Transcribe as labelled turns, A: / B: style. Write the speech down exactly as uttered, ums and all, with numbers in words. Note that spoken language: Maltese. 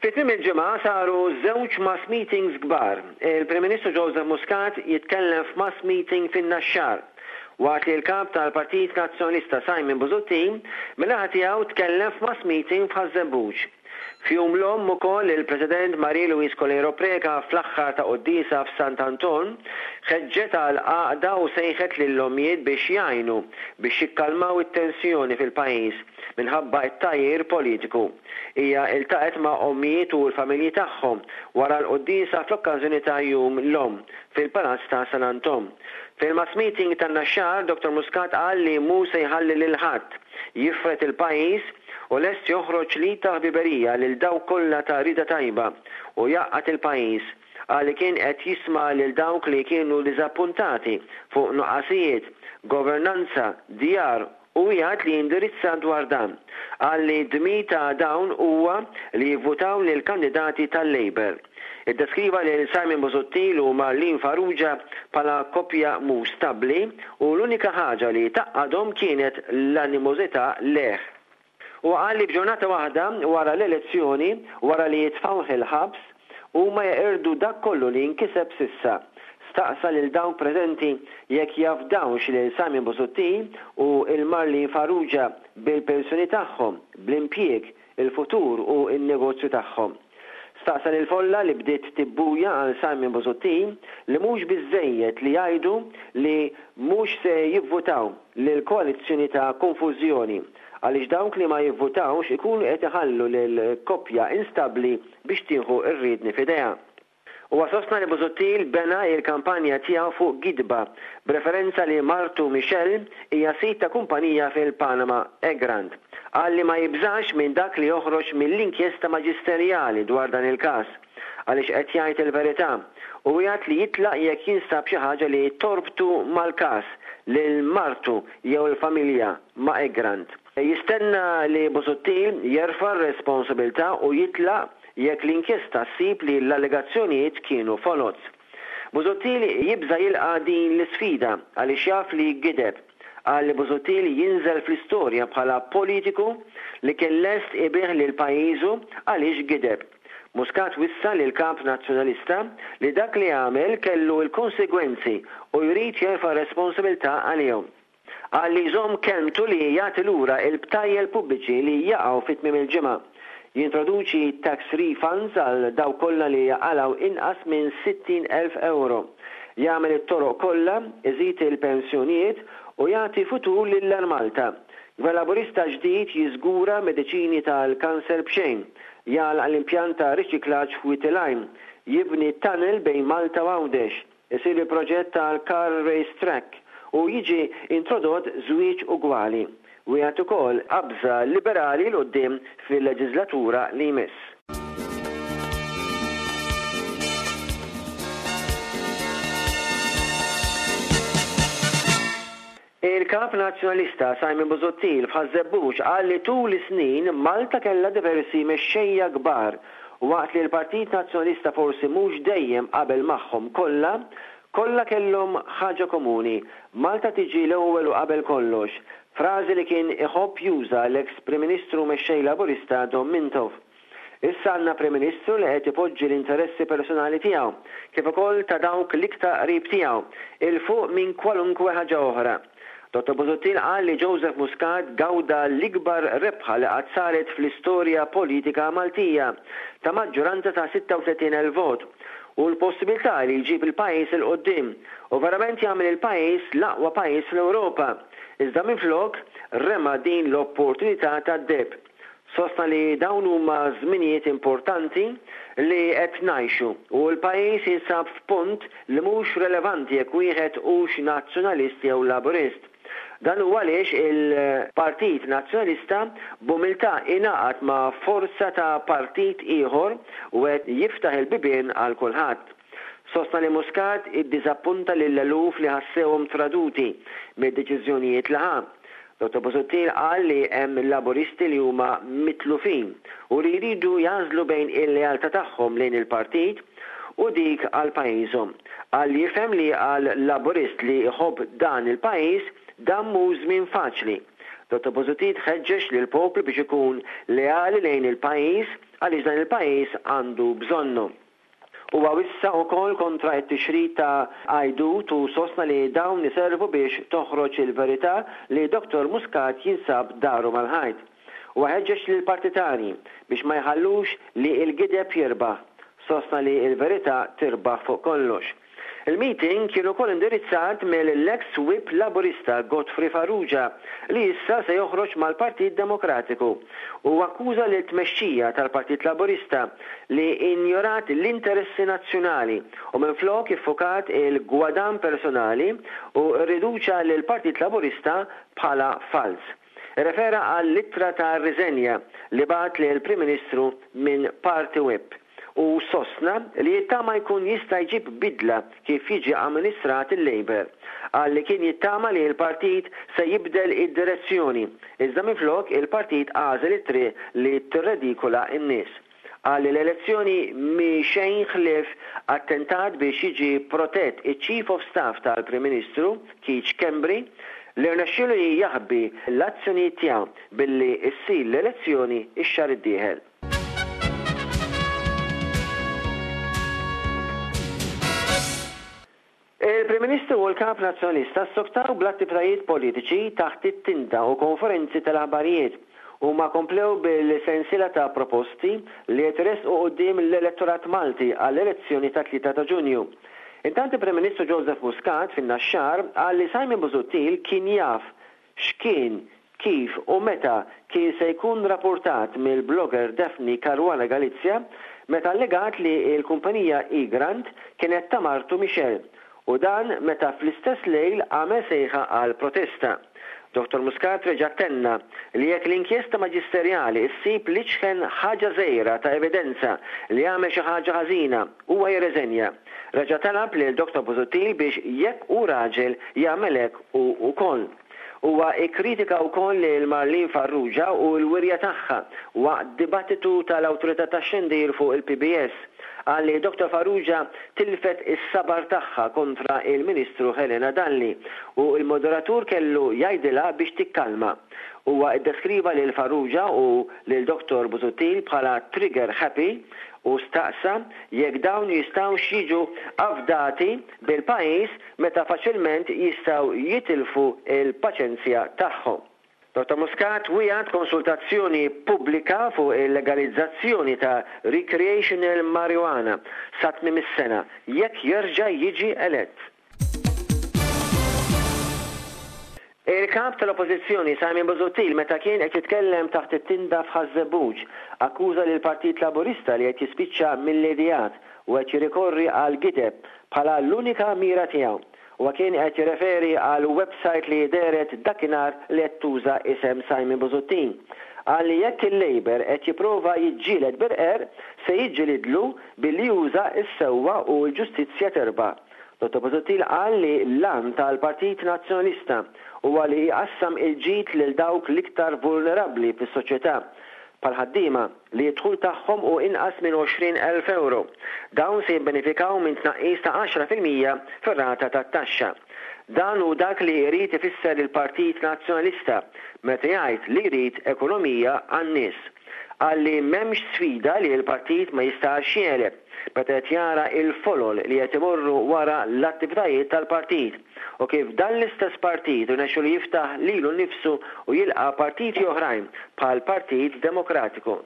A: Fi tmiem il-ġimgħa saru żewġ mass meetings kbar. Il-Prim Ministru Joseph Muscat jitkellem f'mass meeting fin-Naxxar, waqt li l-kap tal-Partit Nazzjonalista Simon Busuttil min-naħa tiegħu tkellem f'mass meeting f'Ħaż-Żebbuġ. F'Jum l-Omm ukoll il-President Marie Louise Coleiro Preca fl-aħħar ta' quddiesa f'Sant Anton ħeġġet għal għaqda u sejħet lill-ommijiet biex jgħinu biex jikkalmaw it-tensjoni fil-pajjiż minħabba t-tgħajjir politiku. Hija iltaqgħet ma' ommijiet u l-familji tagħhom wara l-quddiesa fl-okkażjoni ta' Jum l-Omm fil-Palazz ta' San Anton. Fil-mass meeting tan-Naxxar, Dottor Muscat qal li mhu se jħalli lil ħadd jifred il-pajjiż u lest joħroġ l-id ta' ħbiberija lil dawk kollha ta' rieda tajba u jgħaqqad il-pajjiż. Qal li kien qed jisma' lil dawk li kienu diżappuntati fuq nuqqasijiet, governanza, djar u wiegħed li jindirizza dwar dan. Qal li d-dmir ta' dawn huwa li jivvutaw lill-kandidati tal-Labour. Iddeskriva lil Simon Busuttil u Marlene Farrugia bħala koppja mhux stabbli u l-unika ħaġa li tgħaqqadhom kienet l-animożità lejh. Huwa qal li b'ġurnata waħda wara l-elezzjoni, wara li jitfgħuh il-ħabs, huma jeqirdu dak kollu li nkiseb s'issa. Staqsa lil dawk preżenti jekk jafdawx lil Simon Busuttil u l-Marlene Farrugia bil-pensjoni tagħhom, bl-impjieg, il-futur u n-negozju tagħhom. Staqsa lill-folla li bdiet tibbuja għal Simon Busuttil li mhux biżżejjed li jgħidu li mhux se jivvutaw lill-koalizzjoni ta' konfużjoni għaliex dawk li ma jivvutawx ikunu qed iħallu lill-koppja instabbli biex tieħu r-riedni f'idejha. Huwa sostna li Busuttil bena l-kampanja tiegħu fuq gidba b'referenza li martu Michelle hija sid ta' kumpanija fil-Panama, Egrant. Qal li ma jibżax minn dak li joħroġ mill-inkjesta maġisterjali dwar dan il-każ għaliex qed jgħid il-verità u wiegħed li jitlaq jekk jinstab xi ħaġa li torbtu mal-każ lil martu jew il-familja ma' Egrant. Jistenna li Busuttil jerfa' r-responsabilità u jitlaq jekk l-inkjesta ssib li l-allegazzjonijiet kienu foloz. Busuttil jibża' jilqa' din l-isfida għaliex jaf li gideb. Qal li Busuttil jinżel fl-istorja bħala politiku li kien lest ibigħ lil pajjiżu għaliex gideb. Muscat wissa lill-kap Nazzjonalista li dak li għamel kellu l-konsegwenzi u jrid jerfa' responsabilità għalihom. Qal li jżomm kelmtu li jagħti lura l-btajjel pubbliċi li jaqgħu fi tmiem il-ġimgħa. Jintroduċi tax refunds għal dawk kollha li jaqalgħu inqas minn sittin elf euro. Jagħmel it-toroq kollha, iżid il-pensjonijiet u jagħti futur lil Malta. Gvern Laburista ġdid jiżgura mediċini tal-kanser b'xejn, jagħlaq l-impjant ta' riċiklaġġ f'Wied il-Għajn, jibni tunnel bejn Malta u Għawdex, isir il-proġett tal-car race track u jiġi introdott żwieġ ugwali. Wieħed ukoll qabża liberali 'l quddiem fil-leġislatura li jmiss. Il-kap Nazzjonalista Simon Busuttil f'Ħaż-Żebbuġ qal li tul is-snin Malta kellha diversi mexxejja kbar waqt li l-Partit Nazzjonalista forsi mhux dejjem qabel magħhom kollha, kollha kellhom ħaġa komuni, Malta tiġi l-ewwel u qabel kollox, frażi li kien iħobb juża l-eks Prim Ministru u mexxej Laburista Dom Mintoff. Issa għandna Prim Ministru li qed ipoġġi l-interessi personali tiegħu, kif ukoll ta' dawk l-iktar qrib tiegħu, 'il fuq minn kwalunkwe ħaġa oħra. Dottor Busuttil qal li Joseph Muscat gawda l-ikbar rebħa li qatt saret fl-istorja politika Maltija, ta' maġġoranza ta' sitta u tletin elf vot, u l-possibilità li jġib il-pajjiż 'il quddiem u verament jagħmel il-pajjiż l-aqwa pajjiż fl-Ewropa, iżda minflok rema din l-opportunità tad-deheb. Sostna li dawn huma żminijiet importanti li qed ngħixu u l-pajjiż jinsab f'punt li mhux relevanti jekk wieħed hux Nazzjonalist jew Laburist. Dan hu għaliex il-Partit Nazzjonalista b'umiltà ingħaqad ma' forza ta' partit ieħor u qed jiftaħ il-bibien għal kulħadd. Sostna li Muscat iddiżappunta lill-eluf li ħassewhom traduti mid-deċiżjonijiet li ħa. Dottor Busuttil qal li hemm Laburisti li huma mitlufin u li jridu jagħżlu bejn il-lealtà tagħhom lejn il-partit u dik għal pajjiżhom. Qal li jifhem li għal Laburist li jħobb dan il-pajjiż dan mhux żmien faċli. Dottor Busuttil ħeġġeġ lill-poplu biex ikun leali lejn il-pajjiż għaliex dan il-pajjiż għandu bżonnu. Huwa wissa wkoll kontra t-tixrid ta' għajdut u sostna li dawn iservu biex toħroġ il-verità li Dottor Muscat jinsab daru mal-ħajt. Huwa ħeġġeġ lill-partitarji biex ma jħallux li l-gideb jirbaħ. Sostna li l-verità tirbaħ fuq kollox. Il-meeting kien ukoll indirizzat mill-ex whip Laburista Godfrey Farrugia li issa se joħroġ mal-Partit Demokratiku u akkuża lil tmexxija tal-Partit Laburista li injorat l-interessi nazzjonali u minflok iffukat il-gwadann personali u rriduċa lill-Partit Laburista bħala falz. Irrefera għall-ittra ta' riżenja li bagħat lill-Prim Ministru minn Party Whip u sostna li jittama jkun jista' jġib bidla kif jiġi amministrat il-Labour. Qal li kien jittama li l-partit se jibdel id-direzzjoni, iżda minflok il-partit għażel it-triq li tirredikola n-nies. Qal li l-elezzjoni mhi xejn ħlief attentat biex jiġi protett iċ-Chief of Staff tal-Prim Ministru, Keith Schembri, li rnexxielu jaħbi l-azzjonijiet tiegħu billi ssir l-elezzjoni x-xahar id-dieħel. Il-Prim Ministru u l-Kap Nazzjonalista ssoktaw bl-attivitajiet politiċi taħt it-tinda u konferenzi tal-aħbarijiet u ma komplew bil-sensiela ta' proposti li qed iressqu quddiem l-elettorat Malti għall-elezzjoni ta' tlieta ta' Ġunju. Intant il-Prim Ministru Joseph Muscat fin-Naxxar qal li Simon Busuttil kien jaf x'kien, kif u meta kien se jkun rapportat mill-blogger Daphne Caruana Galizia meta allegat li l-kumpanija Egrant kienet ta' martu Michelle u dan meta fl-istess lejl għamel sejħa għal protesta. Dottor Muscat reġa' tenna li jekk l-inkjesta maġisterjali ssib li ċken ħaġa żgħira ta' evidenza li għamel xi ħaġa ħażina, huwa jirreżenja. Reġa' talab lil Dottor Busuttil biex jekk hu raġel jagħmel hekk hu wkoll. Huwa ikkritika wkoll lil Marlene Farrugia u l-wirja tagħha waqt dibattitu tal-Awtorità tax-Xandir fuq il-P B S. Qal li Dottor Farrugia tilfet is-sabar tagħha kontra il-Ministru Helena Dalli u l-moderatur kellu jgħidilha biex tikkalma. Huwa iddeskriva lil Farrugia u lil Dottor Busuttil bħala trigger happy u staqsa jekk dawn jistgħux jiġu afdati bil-pajjiż meta faċilment jistgħu jitilfu il-paċenzja tagħhom. Dottor Muscat wiegħed konsultazzjoni pubblika fuq il-legalizzazzjoni ta' recreational marijuana sa tmiem is-sena jekk jerġa' jiġi elett. Il-kap tal-Oppożizzjoni Simon Busuttil meta kien qed jitkellem taħt it-tinda f'Ħaż-Żebbuġ akkuża lil Partit Laburista li qed jispiċċa mill-ideat u qed jirrikorri għal gideb bħala l-unika mira tiegħu. Huwa kien qed jirreferi għal website li dehret dakinhar li qed tuża isem Simon Busuttil. Qal li jekk il-Labour qed jipprova jiġġieled bil-qerq se jiġġielidlu billi juża s-sewwa u l-ġustizzja terba'. Dottor Busuttil qal li l-għan tal-Partit Nazzjonalista huwa li jqassam il-ġid lil dawk l-iktar vulnerabbli fis-soċjetà bħal ħaddiema li d-dħul tagħhom hu inqas minn għoxrin elf euro. Dawn se jibbenefikaw minn tnaqqis ta' għaxra fil-mija fir-rata tat-taxxa. Dan hu dak li jrid ifisser il-Partit Nazzjonalista meta jgħid li jrid ekonomija għan-nies. Qal li m'hemmx sfida li l-partit ma jistax jegħleb meta qed jara il-folol li qed imorru wara l-attivitajiet tal-partit u kif dan l-istess partit irnexxu li jiftaħ lilu nnifsu u jilqa' partiti oħrajn bħal Partit Demokratiku.